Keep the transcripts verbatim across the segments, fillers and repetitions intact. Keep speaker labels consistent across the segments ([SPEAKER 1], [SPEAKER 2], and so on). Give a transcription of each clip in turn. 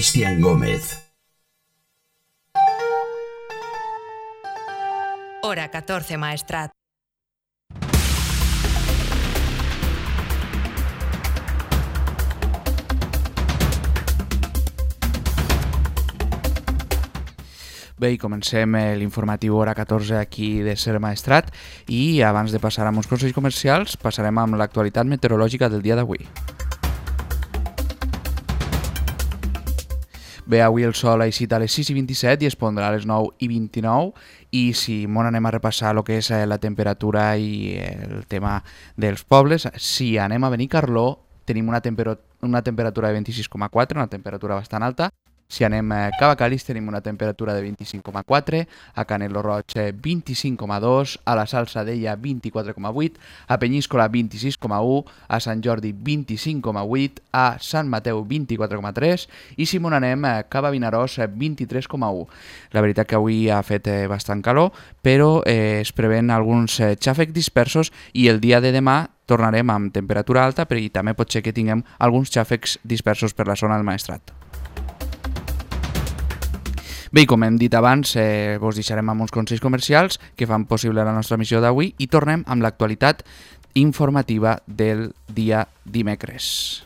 [SPEAKER 1] Cristian Gómez.
[SPEAKER 2] Hora catorce, Maestrat.
[SPEAKER 3] Bé, i comencem l'informatiu hora catorze aquí de Ser Maestrat i abans de passar amb uns consells comercials passarem amb l'actualitat meteorològica del dia d'avui. Bé, avui el sol ha eixit a les sis i vint-i-set i es pondrà a les nou i vint-i-nou i si molt anem a repassar el que és la temperatura i el tema dels pobles, si anem a Benicarló tenim una, temper- una temperatura de vint-i-sis coma quatre, una temperatura bastant alta. Si anem a Cavacalis tenim una temperatura de vint-i-cinc coma quatre, a Canelo Roig vint-i-cinc coma dos, a la Salzadella vint-i-quatre coma vuit, a Penyíscola vint-i-sis coma u, a Sant Jordi vint-i-cinc coma vuit, a Sant Mateu vint-i-quatre coma tres i si m'on anem a Cava Vinaròs vint-i-tres coma u. La veritat que avui ha fet bastant calor, però eh, es preven alguns eh, xàfecs dispersos i el dia de demà tornarem amb temperatura alta, però i també pot ser que tinguem alguns xàfecs dispersos per la zona del Maestrat. Bé, com hem dit abans, eh, vos deixarem amb uns consells comercials que fan possible la nostra missió d'avui i tornem amb l'actualitat informativa del dia dimecres.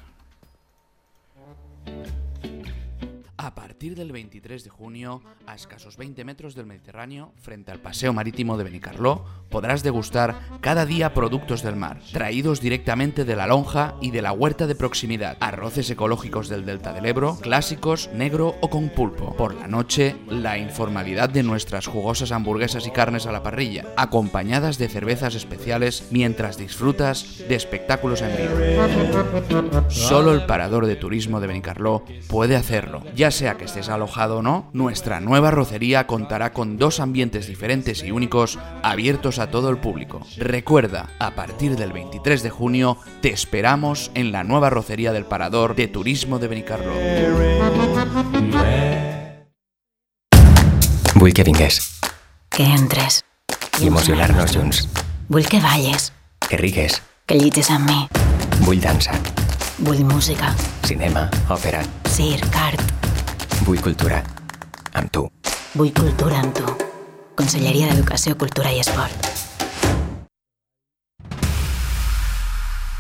[SPEAKER 3] A partir del veintitrés de junio, a escasos veinte metros del Mediterráneo, frente al Paseo Marítimo de Benicarló, podrás degustar cada día productos del mar, traídos directamente de la lonja y de la huerta de proximidad. Arroces ecológicos del Delta del Ebro, clásicos, negro o con pulpo. Por la noche, la informalidad de nuestras jugosas hamburguesas y carnes a la parrilla, acompañadas de cervezas especiales mientras disfrutas de espectáculos en vivo. Solo el Parador de Turismo de Benicarló puede hacerlo. Ya sea que estés alojado o no, nuestra nueva arrocería contará con dos ambientes diferentes y únicos abiertos a todo el público. Recuerda, a partir del veintitrés de junio te esperamos en la nueva arrocería del Parador de Turismo de Benicarló.
[SPEAKER 4] Vull que vingués.
[SPEAKER 5] Que entres.
[SPEAKER 4] I emocionar-nos junts.
[SPEAKER 5] Vull que balles.
[SPEAKER 4] Que rigues.
[SPEAKER 5] Que llitges amb mi.
[SPEAKER 4] Vull dansa.
[SPEAKER 5] Vull música.
[SPEAKER 4] Cinema, òpera.
[SPEAKER 5] Circ, art.
[SPEAKER 4] Vull cultura. Amb tu.
[SPEAKER 5] Vull cultura amb tu. Conselleria d'Educació, Cultura i Esport.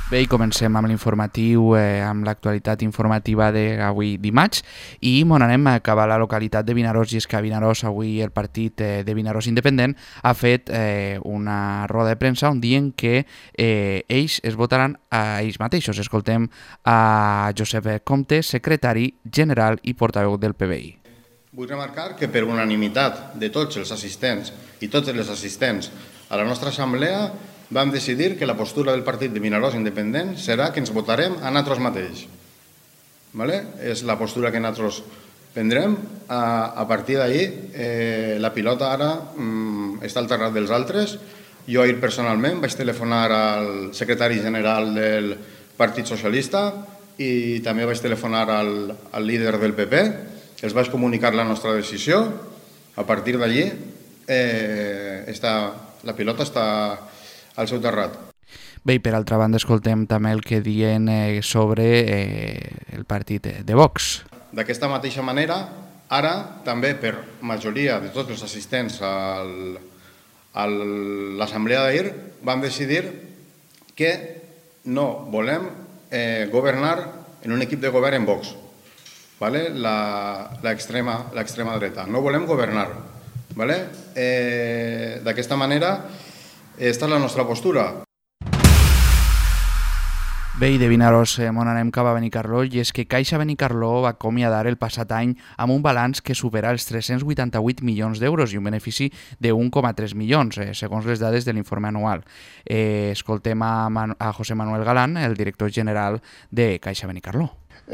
[SPEAKER 3] Bé, i comencem amb l'informatiu, eh, amb l'actualitat informativa d'avui dimarts i m'on anem a acabar la localitat de Vinaròs i és que a Vinaròs avui el partit eh, de Vinaròs Independent ha fet eh, una roda de premsa on diuen que eh, ells es votaran a ells mateixos. Escoltem a Josep Comte, secretari general i portaveu del P B I.
[SPEAKER 6] Vull remarcar que per unanimitat de tots els assistents i totes les assistents a la nostra assemblea vam decidir que la postura del partit de Vinaròs Independent serà que ens votarem a nosaltres mateix. Vale? És la postura que nosaltres prendrem. A, a partir d'ahir, eh, la pilota ara mm, està al terrat dels altres. Jo ahir personalment vaig telefonar al secretari general del Partit Socialista i també vaig telefonar al, al líder del P P. Els vaig comunicar la nostra decisió. A partir d'allí, eh, està, la pilota està al seu terrat.
[SPEAKER 3] Bé, i per altra banda escoltem també el que diuen eh, sobre eh, el partit de Vox.
[SPEAKER 6] D'aquesta mateixa manera, ara també per majoria de tots els assistents al, a l'assemblea d'ahir vam decidir que no volem eh, governar en un equip de govern en Vox, vale? l'extrema dreta. No volem governar. Vale? Eh, D'aquesta manera, esta és la nostra postura.
[SPEAKER 3] Bé, i de Vinaròs eh, m'on anem cap a Benicarló i és que Caixa Benicarló va acomiadar el passat any amb un balanç que supera els tres-cents vuitanta-vuit milions d'euros i un benefici de un coma tres milions, eh, segons les dades de l'informe anual. Eh, escoltem a, Man- a José Manuel Galán, el director general de Caixa Benicarló.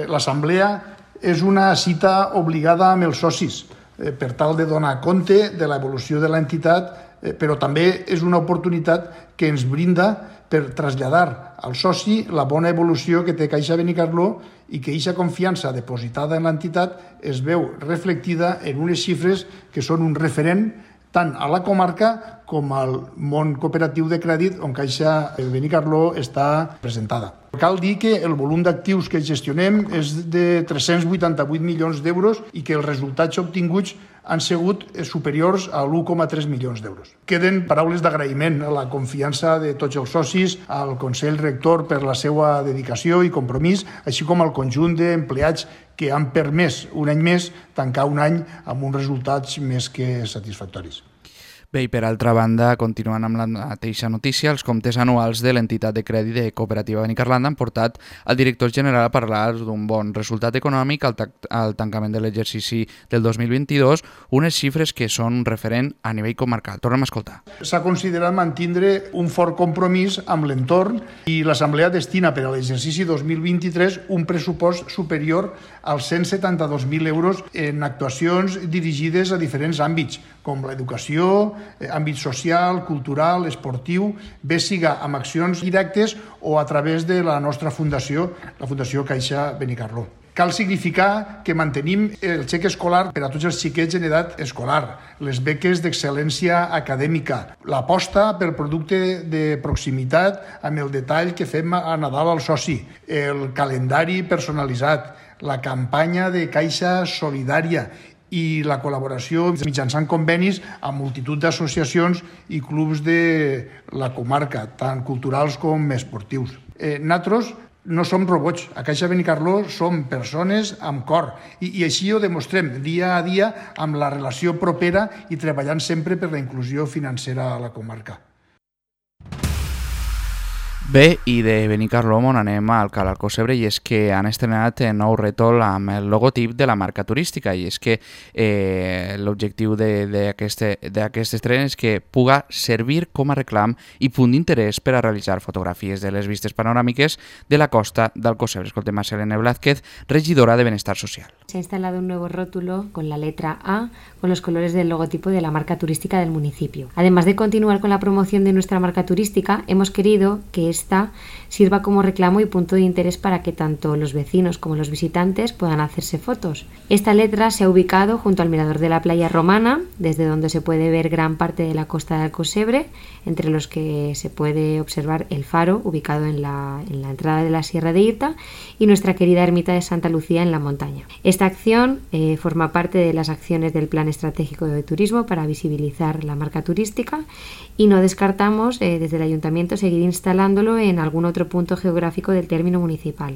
[SPEAKER 7] L'assemblea és una cita obligada amb els socis eh, per tal de donar compte de l'evolució de l'entitat, eh, però també és una oportunitat que ens brinda per traslladar al soci la bona evolució que té Caixa Benicarló i que aquesta confiança depositada en l'entitat es veu reflectida en unes xifres que són un referent tant a la comarca com al món cooperatiu de crèdit on Caixa Benicarló està presentada. Cal dir que el volum d'actius que gestionem és de tres-cents vuitanta-vuit milions d'euros i que els resultats obtinguts han sigut superiors a l'u coma tres milions d'euros. Queden paraules d'agraïment a la confiança de tots els socis, al Consell Rector per la seva dedicació i compromís, així com al conjunt d'empleats que han permès un any més tancar un any amb uns resultats més que satisfactoris.
[SPEAKER 3] Bé, i per altra banda, continuant amb la mateixa notícia, els comptes anuals de l'entitat de crèdit de Cooperativa Benicarlanda han portat al director general a parlar d'un bon resultat econòmic al, al tancament de l'exercici del dos mil vint-i-dos, unes xifres que són un referent a nivell comarcal. Tornem a escoltar.
[SPEAKER 7] S'ha considerat mantindre un fort compromís amb l'entorn i l'Assemblea destina per a l'exercici dos mil vint-i-tres un pressupost superior als cent setanta-dos mil euros en actuacions dirigides a diferents àmbits, com l'educació, àmbit social, cultural, esportiu, bé siga amb accions directes o a través de la nostra fundació, la Fundació Caixa Benicarló. Cal significar que mantenim el xec escolar per a tots els xiquets en edat escolar, les beques d'excel·lència acadèmica, l'aposta pel producte de proximitat amb el detall que fem a Nadal al soci, el calendari personalitzat, la campanya de Caixa Solidària i la col·laboració mitjançant convenis amb multitud d'associacions i clubs de la comarca, tant culturals com esportius. Eh, nosaltres no som robots. A Caixa Benicarló som persones amb cor i, i així ho demostrem dia a dia amb la relació propera i treballant sempre per la inclusió financera a la comarca.
[SPEAKER 3] Bé, i de Benicarló on anem al Cal Alcocebre, i és que han estrenat un nou rètol amb el logotip de la marca turística, i és que eh, l'objectiu d'aquest estren és que puga servir com a reclam i punt d'interès per a realitzar fotografies de les vistes panoràmiques de la costa d'Alcocebre. Escoltem a Selene Blázquez, regidora de Benestar Social.
[SPEAKER 1] Se ha instalado un nuevo rótulo con la letra A, con los colores del logotipo de la marca turística del municipio. Además de continuar con la promoción de nuestra marca turística, hemos querido que esta sirva como reclamo y punto de interés para que tanto los vecinos como los visitantes puedan hacerse fotos. Esta letra se ha ubicado junto al mirador de la playa romana, desde donde se puede ver gran parte de la costa de Alcocebre, entre los que se puede observar el faro ubicado en la, en la entrada de la Sierra de Irta y nuestra querida ermita de Santa Lucía en la montaña. Esta acción eh, forma parte de las acciones del Plan Estratégico de Turismo para visibilizar la marca turística y no descartamos eh, desde el Ayuntamiento seguir instalándolo en algun otro punto geogràfic del término municipal.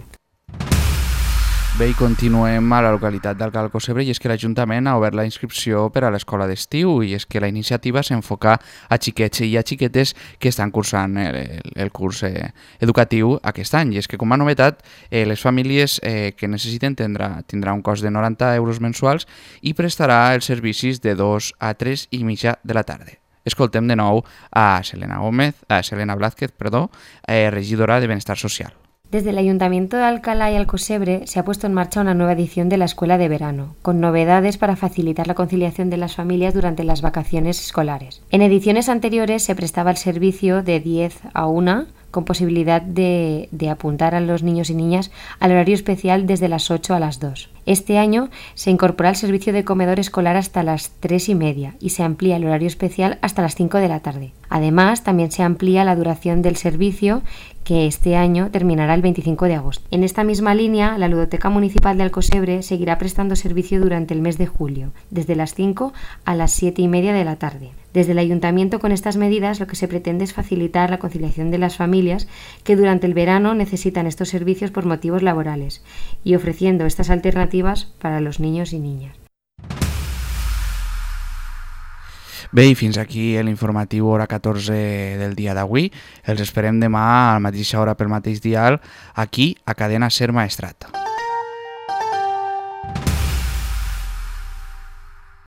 [SPEAKER 3] Bé, i continuem a la localitat del Cal Alcocebre, i és que l'Ajuntament ha obert la inscripció per a l'escola d'estiu, i és que la iniciativa s'enfoca a xiquets i a xiquetes que estan cursant el, el, el curs eh, educatiu aquest any, i és que com a novetat eh, les famílies eh, que necessiten tindrà, tindrà un cost de noranta euros mensuals i prestarà els servicis de dos a tres i mitja de la tarda. Escoltem de nou a Selena Gómez, a Selena Blázquez, perdó, eh, regidora de Benestar Social.
[SPEAKER 1] Desde el Ayuntamiento de Alcalá y Alcocebre se ha puesto en marcha una nueva edición de la Escuela de Verano, con novedades para facilitar la conciliación de las familias durante las vacaciones escolares. En ediciones anteriores se prestaba el servicio de diez a una, con posibilidad de, de apuntar a los niños y niñas al horario especial desde las ocho a las dos. Este año se incorpora el servicio de comedor escolar hasta las tres y media y se amplía el horario especial hasta las cinco de la tarde. Además, también se amplía la duración del servicio, que este año terminará el veinticinco de agosto. En esta misma línea, la Ludoteca Municipal de Alcocebre seguirá prestando servicio durante el mes de julio, desde las cinco a las siete y media de la tarde. Desde el Ayuntamiento, con estas medidas, lo que se pretende es facilitar la conciliación de las familias que durante el verano necesitan estos servicios por motivos laborales y ofreciendo estas alternativas para los niños y niñas.
[SPEAKER 3] Bé, i fins aquí l'informatiu hora catorze del dia d'avui. Els esperem demà a la mateixa hora pel mateix dial aquí a Cadena Ser Maestrat.